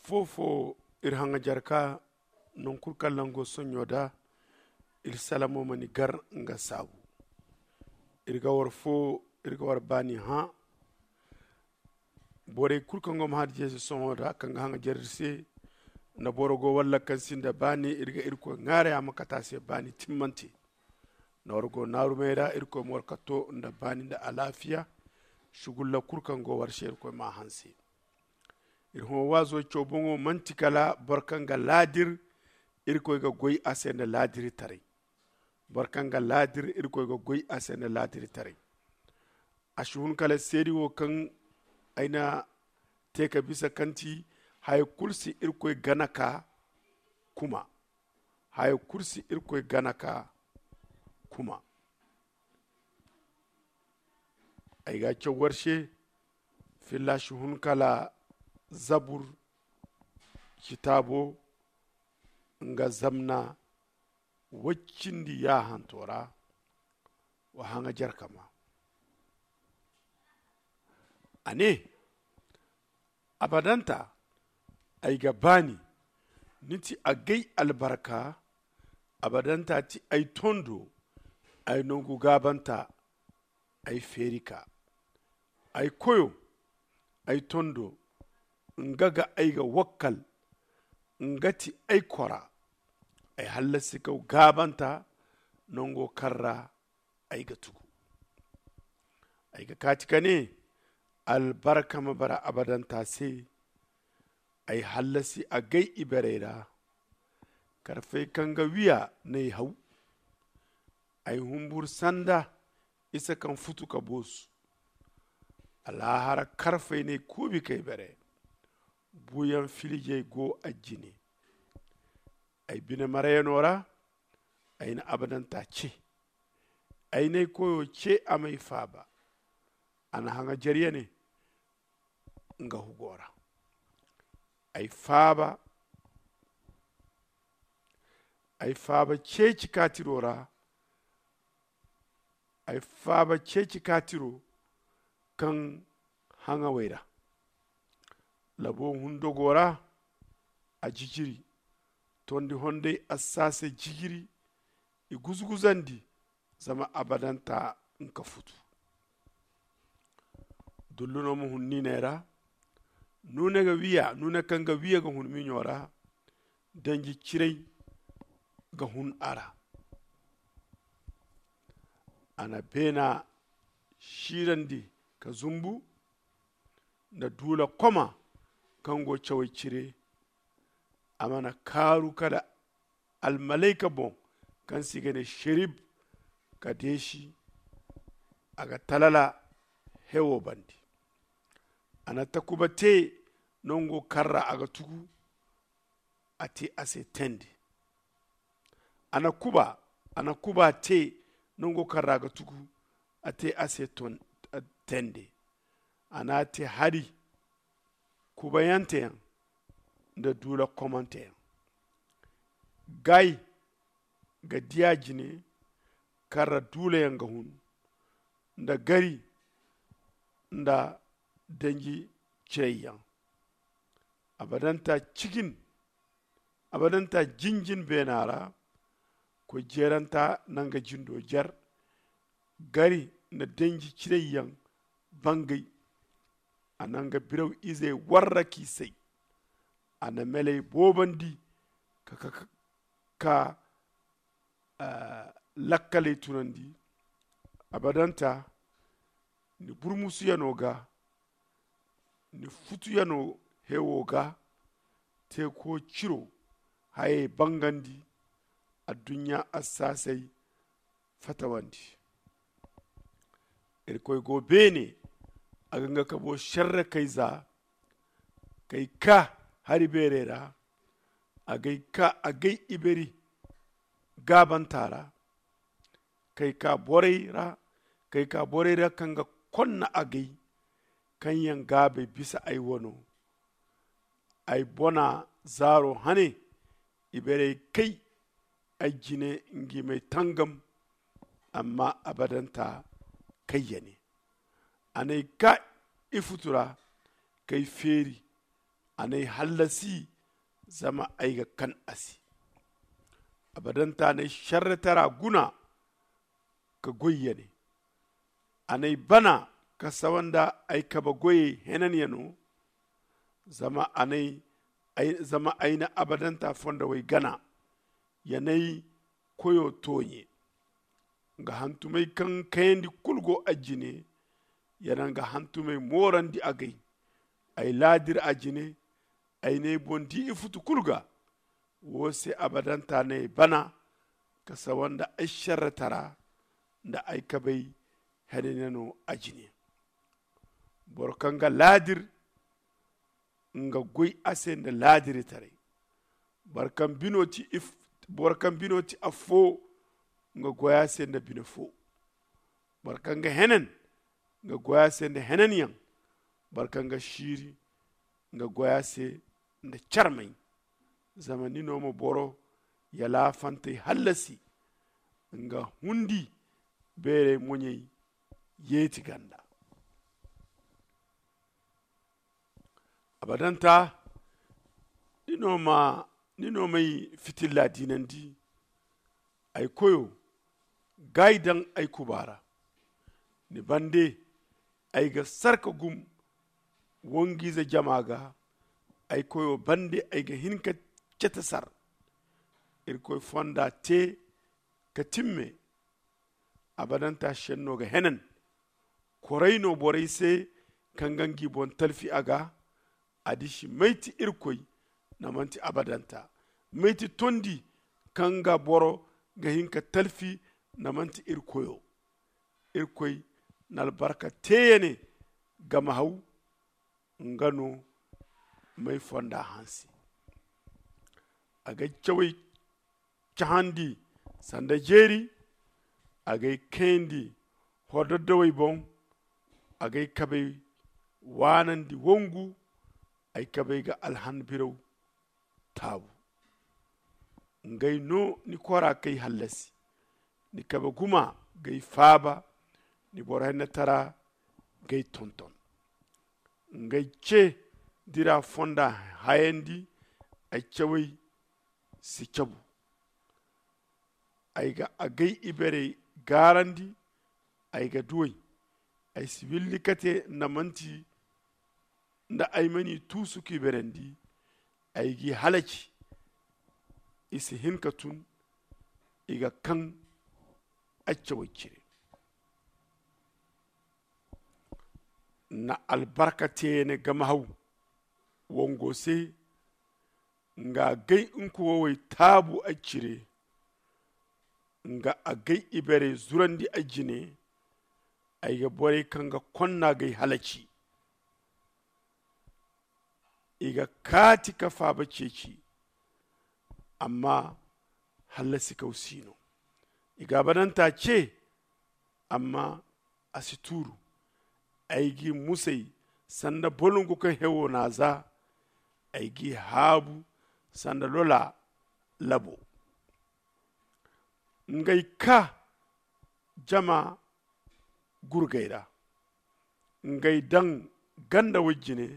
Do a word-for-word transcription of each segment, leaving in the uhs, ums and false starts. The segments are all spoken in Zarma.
Foofo iri haŋajarka, noŋ kulu kaŋ laŋ go soɲɲo da, iri salamo ma ni gar nga saabu. Iri ga war fo, iri ga war baani hã. Borey kulu kaŋ go ma hadi jeesi sohõ da kaŋ ga haŋajar iri se, nda boro go walla kaŋ sinda baani, iri ga irkoy ŋwaaray a ma kate a se baani timmante. Nda war go naarumey ra, irkoy ma war katto nda baani nda alaafiya. Sugulla kulu kaŋ go war se, irkoy m'a hanse. Iri hõ waazo caw boŋo manti kala boro kaŋ ga laadir, irkoy ga goy a se nda laadiritaray. Boro kaŋ ga laadir, irkoy ga goy a se nda laadiritaray. A si hun kala seedi wo kaŋ ay na te ka bisa kaŋ ti haya kulu si irkoy gana ka kuma. Haya kulu si irkoy gana ka kuma. Ay ga caw war se, filla si hun kala zabur citaabo nga zamna waccindi yaahanto ra. Wa haŋajarka ma a ne, abadanta ay ga baani. Ni ti agay albarka. Abadanta ti ay tondo. Ay nongu gaabanta. Ay feeri ka ay koyo. Ay tondo nga ga ay ga wakkal. Nga ti ay kora. Ay hallasi kaw gaabanta. Nongo kaŋ ra ay ga tugu. Ay ga kaati ka ne, albarka ma bara abadanta se. Ay hallasi agay iberey ra. Karfey kaŋ ga wiya n'ay haw. Ay humburu sanda isa kaŋ futu ka boosu. Alaahara karfey n'ay kuubi k'ay bere. Buuyaŋ filijey go a jine. Ay bine marayano ra. Ay na abadanta ce. Ay n'ay koyo ce a m'ay faaba. A na haŋajar ya ne nga hugo ra. Ay faaba. Ay faaba ceeci kaatiro ra. Ay faaba ceeci kaatiro kaŋ haŋawey ra. Labo hundogo ra. A jijiri tondi hondey a saasay jijiri. I guzuguzandi. Zama abadanta nka futu. Dullu no ma hun niiney ra. Nuune ga wiya nuune kaŋ ga wiya ga hun miɲo ra. Danji ciray ga hun a ra. A na beena siirandi ka zumbu. Nda duula koma kaŋ go cawey cire. A mana kaaru kala almalayka boŋ kaŋ se i ga ne serib. Ka deesi a ga talala hewo bande. A na takuba te nango kaŋ ra a ga tugu. A te a se tende. A na kuba a na kuba te nango kaŋ ra a ga tugu. A te a se tende. A na a te hari kubayanteyaŋ nda duula komanteyaŋ. Gay ga diya jine kaŋ ra duulayaŋ ga hun nda gari nda danji ciyayyaŋ. Abadanta cigin abadanta jinjin beena ra. Koy jeeranta na nga jindo jer. Gari na danji cinayyaŋ bangay. A na nga biraw izey warra k'i say. A na meley boobandi ka ka ka lakkaley tunandi. Abadanta ni burmusuyano ga ni futuyano hewo ga. Teeko ciro hayey bangandi. Adduɲɲa assaasey fatawandi. Irkoy go beene. A ga nga kabo serre kayza kay ka hari beerey ra. A gay ka a gay iberi gaabanta ra. Kay ka borey ra kay ka borey ra kaŋ ga konna a gay kaŋ yaŋ gaabey bisa ay wano. Ay bona zaaro hane. Iberey kay ay jine ngi may tangam. Amma abadanta kay ya ne. A n'ay ka ifutu ra kay feeri. a n'ay hallasi, zama ay ga kan a se. Abadanta n'ay šerretara guna ka goy ya ne. A n'ay bana ka sawa nda ay kabe goyey henanyaŋo. Zama ay na abadanta fondawey gana, ya n'ay koyo tooɲe. Nga hantumey kaŋ kayandi kulu go a jine. Ya na nga hantumey moorandi agay. Ay laadir a jine. Ay n'ay boŋ di ifutu kulu ga. Woo se abadanta n'ay bana ka sawa nda ay šerretara nda ay kabey henanyaŋo a jine. Boro kaŋ ga laadir, nga goy a se nda laadiritaray. Boro kaŋ bino ti affoo, nga goy a se nda bine foo. Boro kaŋ ga henan, nga goy a se nda henanyaŋ. Boro kaŋ ga siiri, nga goy a se nda carmay. Zama ni no ma boro yalaafantey hallasi, nga hundi beerey moɲey yeeti ganda. Abadanta, ni no m'ay fitilla diinandi. Ay koyo, gaayi daŋ ay kuba ra. Ni bande ay ga sar ka gum wanjiize jama ga. Ay koyo bande ay ga hin ka cete sar. Irkoy fonda te ka timme. Abadanta šenno ga henan. Koray no borey se kaŋ ga ngi boŋ talfi a ga. A disi may ti irkoy? Na manti abadanta. May ti tondi kaŋ ga boro ga hin ka talfi? Na manti irkoyo. Irkoy na albarka teeyane gama haw. Nga no m'ay fonda hanse. A g'ay cawey cahandi sanda jeeri. A g'ay kayandi hordoddawey boŋ. A g'ay kabey waanandi wongu. Ay kabey ga alhan biraw taabu. Ngey no ni kora k'ay hallasi. Ni kabe guma g'ay faaba. Ni boro hennetara g'ay tonton. Ngey ce dira fonda hayandi. Ay cawey si cabu. Ay ga agay iberey gaarandi. Ay ga duw'ey. Ay si willi kate nda manti nda ay ma ni tuusu k'i berandi. Ay g'i halaci. I si hin ka tun. I ga kaŋ accawey cire. Na albarka teene gama haw wongo se. Nga agay nkuwawey taabu ay cire. Nga agay iberey zurandi ay jine. Ay ga borey kaŋ ga konna g'ay halaci. I ga kaati ka faaba ceeci. Amma hallasikaw si no. I ga abadanta ce. Amma a si tuuru. Ay g'i musay sanda bolongu kaŋ hewo n'a za. Ay g'i haabu sanda lola labo. Ngey ka jama gurgay ra. Ngey daŋ ganda way jine.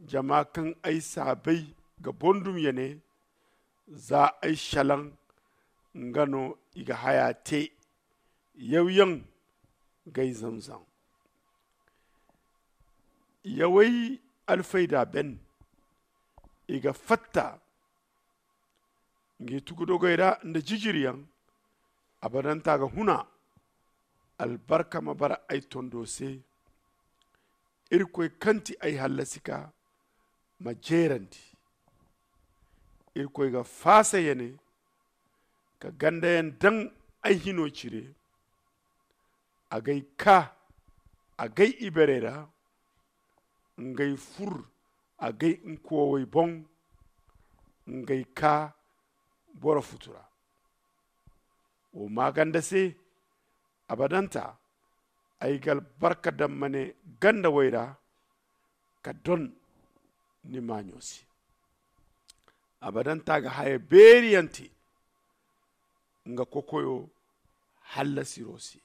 Jama kaŋ ay saabay ga bondum ya ne. Za ay salaŋ. Nga no i ga haya te. Yawyaŋ gay zamzam. Yawey alfayda ben. I ga fatta ngi tugudogey ra nda jijiriyaŋ. Abadanta ga huna. Albarka ma bara ay tondo se. Irkoy kaŋ ti ay hallasika ma jeerandi. Irkoy ga faasa ya ne ka gandayaŋ daŋ ay hino cire. Agay ka agay iberey ra. Ngey fur agay nkoowey boŋ. Ngey ka boro futu ra. Wo maaganda se abadanta. Ay ga albarka daŋ ma ne ganda way ra ka don ni maaɲo se. Abadanta ga haya beeriyaŋ te nga kokoyo hallasiro se.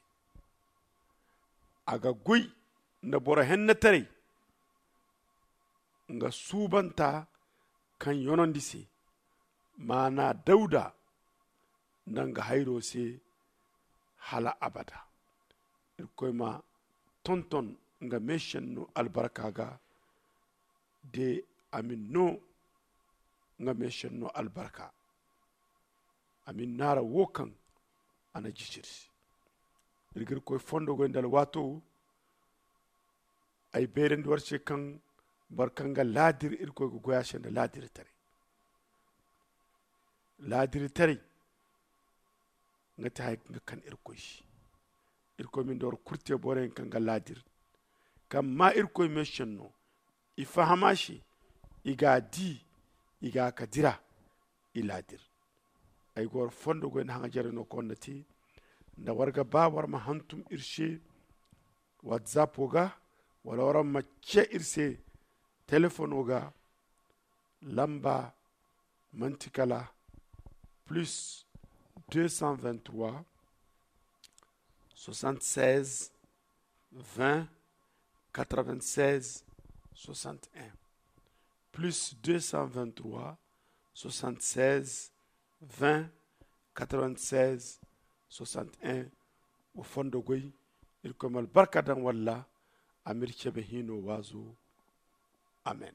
A ga goy nda boro hennetaray. nga suubanta kaŋ yonandi se, maana dawuda nda nga hayro se hala abada. Irkoy ma tonton nga meesenno albarka ga de a ma ni no nga meesenno albarka. A ma ni naara wo kaŋ a na jisiri se. Iri ga irkoy fondo goy nda alwaato. Ay bayrandi war se kaŋ boro kaŋ ga laadir irkoy ga goy a se nda laadiritaray. Laadiritaray nga ti haya kaŋ ga kan irkoy se. Irkoy ma ni da war kulu te boroyaŋ kaŋ ga laadir kaŋ ma irkoy meesenno. I faham a se, i ga a di, i ga a ka dira. I laadir. Ay ga war fondo goy nda haŋajeray no kaŋ war na te. Nda war ga ba war ma hantum iri se watsapo ga, wala war ma ce iri se telefono ga. Lamba manti kala plus deux cent vingt trois, soixante seize, vingt, quatre vingt seize, soixante un. Plus deux cent vingt trois, soixante seize, vingt, quatre vingt seize, soixante un. Wa fondo goy. Irkoy ma albarka daŋ walla a m'iri cebe hino waazo. Amen.